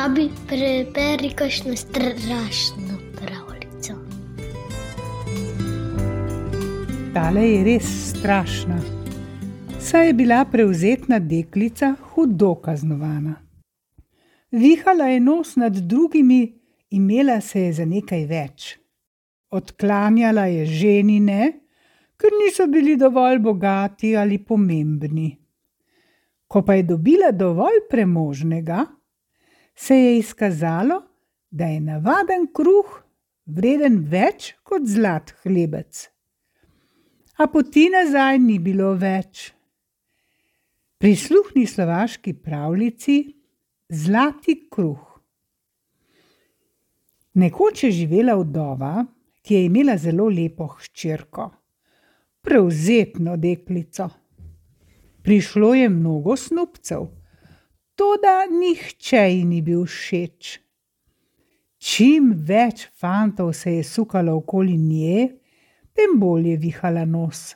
Abi, preberi kakšno strašno pravljico. Tale je res strašna. Saj je bila prevzetna deklica hudo kaznovana. Vihala je nos nad drugimi, imela se je za nekaj več. Odklanjala je ženine, ker niso bili dovolj bogati ali pomembni. Ko pa je dobila dovolj premožnega, se je izkazalo, da je navaden kruh vreden več kot zlat hlebec. A poti nazaj ni bilo več. Prisluhni slovaški pravljici Zlati kruh. Nekoč je živela vdova, ki je imela zelo lepo hčerko, prevzetno deklico. Prišlo je mnogo snubcev, toda nihče ji ni bil všeč. Čim več fantov se je sukalo okoli nje, tem bolj je vihala nos.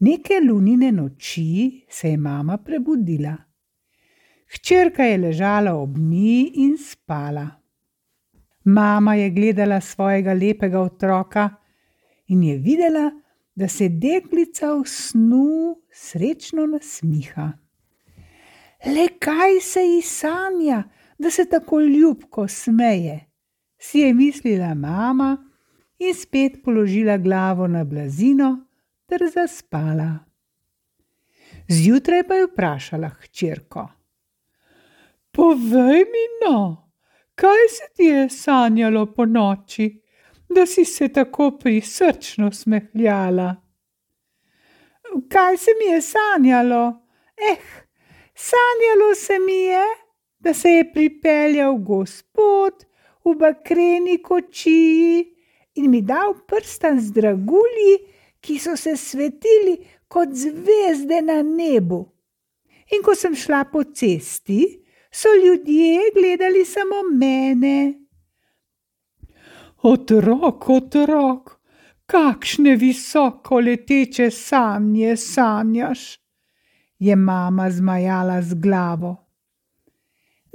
Neke lunine noči se je mama prebudila. Hčerka je ležala ob njej in spala. Mama je gledala svojega lepega otroka in je videla, da se deklica v snu srečno nasmiha. Le kaj se ji sanja, da se tako ljubko smeje, si je mislila mama in spet položila glavo na blazino ter zaspala. Zjutraj pa je vprašala hčerko: Povej mi no, kaj se ti je sanjalo ponoči, da si se tako prisrčno smehljala? Kaj se mi je sanjalo? Sanjalo se mi je, da se je pripeljal Gospod v bakreni kočiji in mi dal prstan z dragulji, ki so se svetili kot zvezde na nebu. In ko sem šla po cesti, so ljudje gledali samo mene. Otrok, kakšne visoko leteče sanje sanjaš, je mama zmajala z glavo.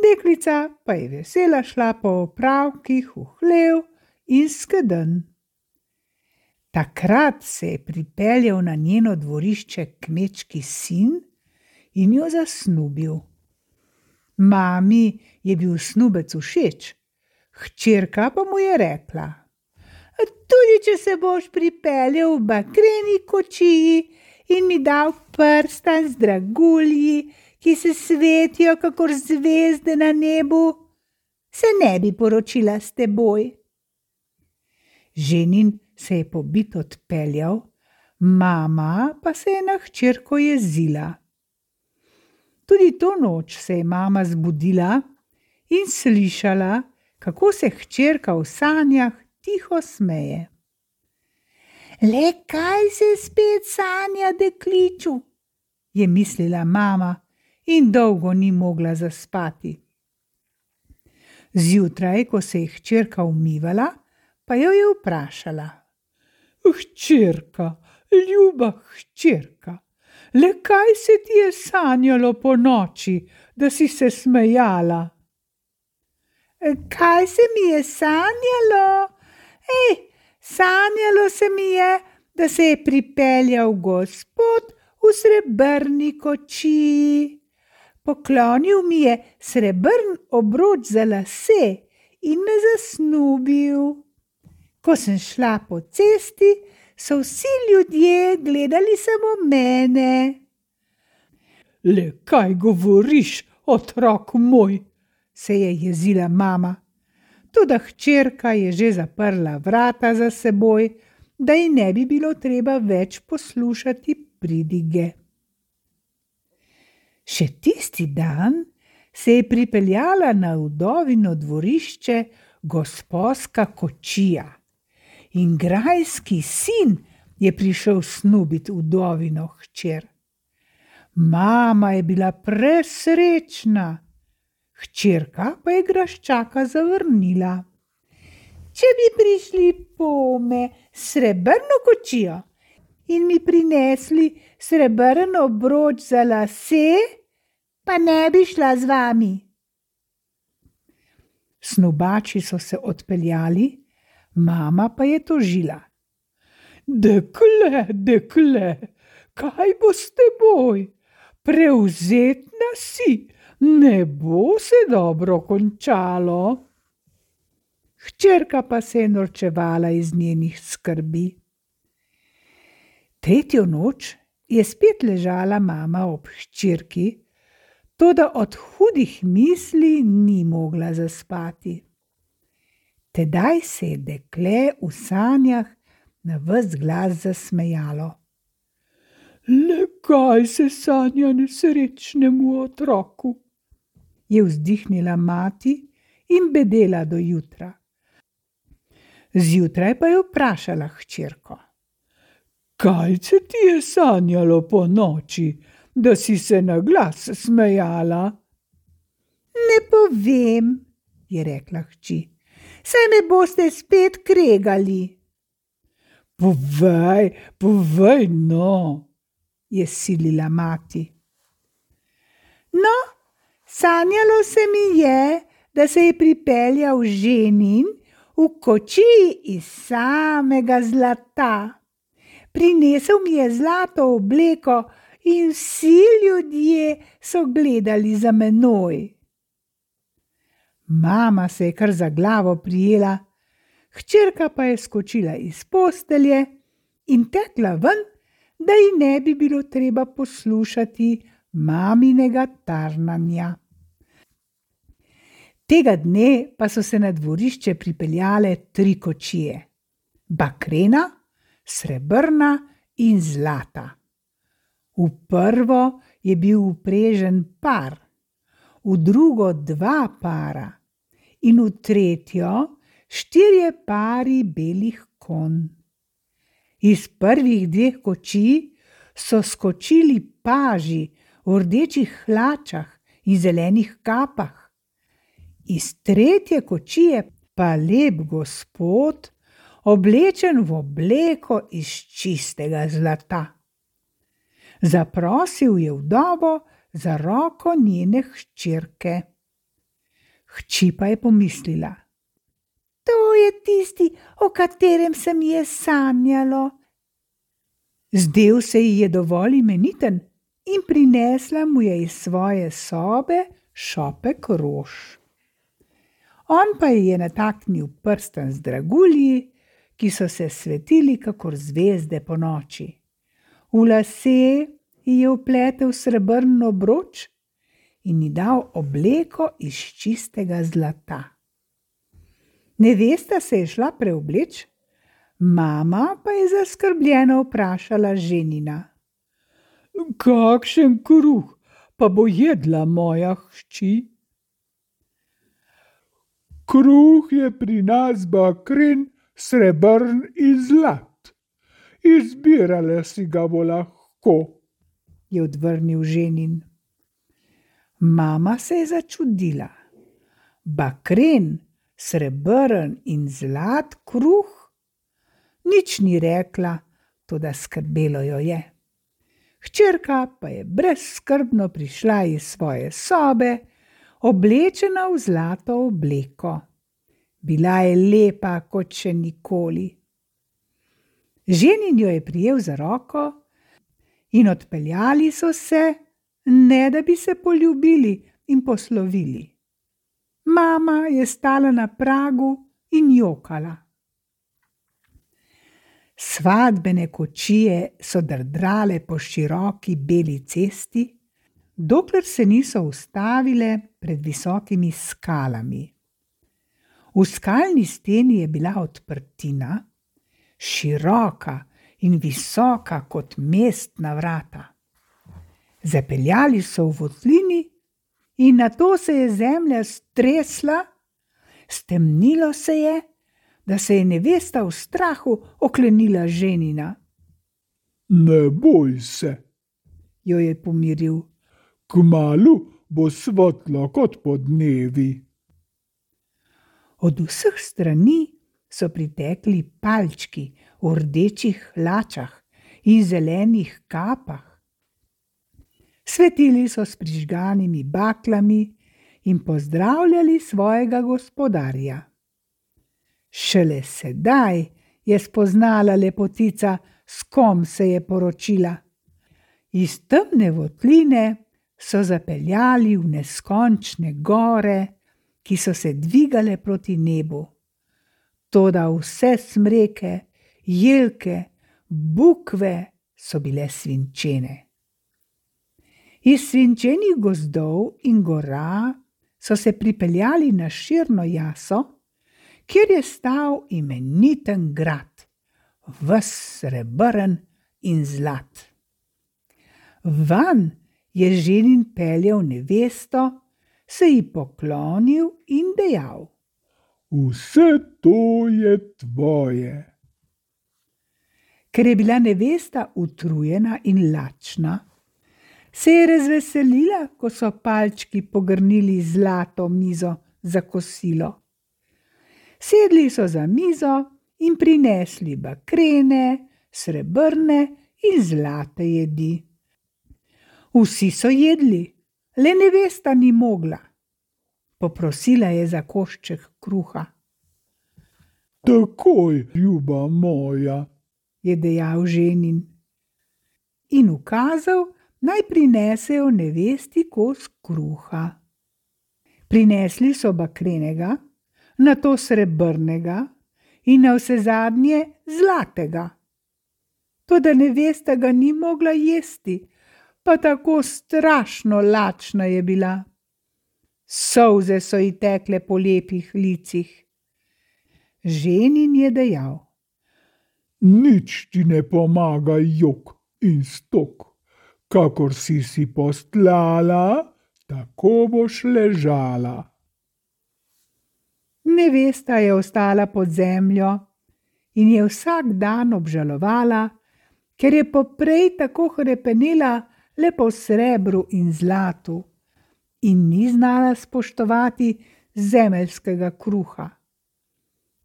Deklica pa je vesela šla po opravkih v hlev in skedenj. Takrat se je pripeljal na njeno dvorišče kmečki sin in jo zasnubil. Mami je bil snubec všeč, hčerka pa mu je rekla: Tudi če se boš pripeljal v bakreni kočiji in mi dal prstan z dragulji, ki se svetijo kakor zvezde na nebu, se ne bi poročila s teboj. Ženin se je pobit odpeljal, mama pa se je na hčerko jezila. Tudi to noč se je mama zbudila in slišala, kako se hčerka v sanjah tiho smeje. Le kaj se spet sanja dekliču, je mislila mama in dolgo ni mogla zaspati. Zjutraj, ko se je hčerka umivala, pa jo je vprašala: Hčerka, ljuba hčerka, le kaj se ti je sanjalo po noči, da si se smejala? Kaj se mi je sanjalo? Sanjalo se mi je, da se je pripeljal Gospod v srebrni kočiji. Poklonil mi je srebrn obroč za lase in me zasnubil. Ko sem šla po cesti, so vsi ljudje gledali samo mene. Le kaj govoriš, otrok moj, se je jezila mama. Toda hčerka je že zaprla vrata za seboj, da ji ne bi bilo treba več poslušati pridige. Še tisti dan se je pripeljala na vdovino dvorišče gosposka kočija in grajski sin je prišel snubit vdovino hčer. Mama je bila presrečna, hčerka pa je graščaka zavrnila. Če bi prišli pome srebrno kočijo in mi prinesli srebrn obroč za lase, pa ne bi šla z vami. Snubači so se odpeljali, mama pa je tožila. Dekle, dekle, kaj bo s teboj? Prevzetna si, ne bo se dobro končalo. Hčerka pa se je norčevala iz njenih skrbi. Tretjo noč je spet ležala mama ob hčerki, toda od hudih misli ni mogla zaspati. Tedaj se je dekle v sanjah na ves glas zasmejalo. Le kaj se sanja nesrečnemu otroku? Je vzdihnila mati in bedela do jutra. Zjutraj pa je vprašala hčerko. Kaj se ti je sanjalo po noči, da si se na glas smejala? Ne povem, je rekla hči, saj me boste spet kregali. Povej, no, je silila mati. No, sanjalo se mi je, da se je pripeljal ženin v kočiji iz samega zlata. Prinesel mi je zlato obleko in vsi ljudje so gledali za menoj. Mama se je kar za glavo prijela, hčerka pa je skočila iz postelje in tekla ven, da ji ne bi bilo treba poslušati maminega tarnanja. Tega dne pa so se na dvorišče pripeljale 3 kočije. Bakrena, srebrna in zlata. V prvo je bil vprežen par, v drugo 2 para in v tretjo 4 pari belih konj. Iz prvih 2 kočij so skočili paži v rdečih hlačah in zelenih kapah. Iz tretje kočije pa lep gospod, oblečen v obleko iz čistega zlata. Zaprosil je vdovo za roko njene hčerke. Hči pa je pomislila. To je tisti, o katerem se mi je sanjalo. Zdel se ji je dovolj imeniten in prinesla mu je iz svoje sobe šopek rož. On pa ji je nataknil prsten z dragulji, ki so se svetili kakor zvezde po noči. V lase ji je vpletel srebrn obroč in ji dal obleko iz čistega zlata. Nevesta se je šla preobleč, mama pa je zaskrbljeno vprašala ženina. Kakšen kruh pa bo jedla moja hči? Kruh je pri nas bakren, srebrn in zlat. Izbirala si ga bo lahko, je odvrnil ženin. Mama se je začudila. Bakren, srebrn in zlat kruh? Nič ni rekla, toda skrbelo jo je. Hčerka pa je brezskrbno prišla iz svoje sobe, oblečena v zlato obleko. Bila je lepa kot še nikoli. Ženin jo je prijel za roko in odpeljali so se, ne da bi se poljubili in poslovili. Mama je stala na pragu in jokala. Svadbene kočije so drdrale po široki beli cesti, dokler se niso ustavile pred visokimi skalami. V skalni steni je bila odprtina, široka in visoka kot mestna vrata. Zapeljali so v votlini in nato se je zemlja stresla, stemnilo se je, da se je nevesta v strahu oklenila ženina. Ne boj se, jo je pomiril. Kmalu bo svetlo kot podnevi. Od vseh strani so pritekli palčki v rdečih hlačah in zelenih kapah. Svetili so s prižganimi baklami in pozdravljali svojega gospodarja. Šele sedaj je spoznala lepotica, s kom se je poročila. Iz temne votline so zapeljali v neskončne gore, ki so se dvigale proti nebu. Toda vse smreke, jelke, bukve so bile svinčene. Iz svinčenih gozdov in gora so se pripeljali na širno jaso, kjer je stal imeniten grad, ves srebrn in zlat. Van je ženin peljal nevesto, se ji poklonil in dejal: Vse to je tvoje. Ker je bila nevesta utrujena in lačna, se je razveselila, ko so palčki pogrnili zlato mizo za kosilo. Sedli so za mizo in prinesli bakrene, srebrne in zlate jedi. Vsi so jedli, le nevesta ni mogla. Poprosila je za košček kruha. Takoj, ljuba moja, je dejal ženin in ukazal, naj prinesejo nevesti kos kruha. Prinesli so bakrenega, nato srebrnega in navsezadnje zlatega. Toda nevesta ga ni mogla jesti, pa tako strašno lačna je bila. Solze so ji tekle po lepih licih. Ženin je dejal: Nič ti ne pomaga jok in stok. Kakor si postlala, tako boš ležala. Nevesta je ostala pod zemljo in je vsak dan obžalovala, ker je poprej tako hrepenela le po srebru in zlatu in ni znala spoštovati zemeljskega kruha.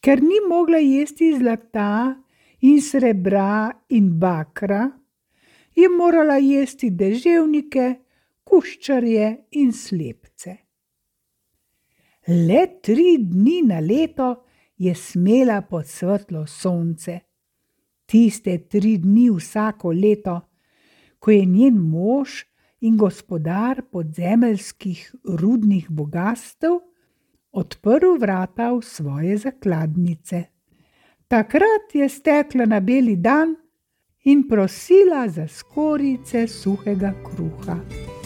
Ker ni mogla jesti zlata in srebra in bakra, je morala jesti deževnike, kuščarje in slepce. Le 3 dni na leto je smela pod svetlo sonce. Tiste 3 dni vsako leto, ko je njen mož in gospodar podzemeljskih rudnih bogastev odprl vrata v svoje zakladnice. Takrat je stekla na beli dan in prosila za skorjice suhega kruha.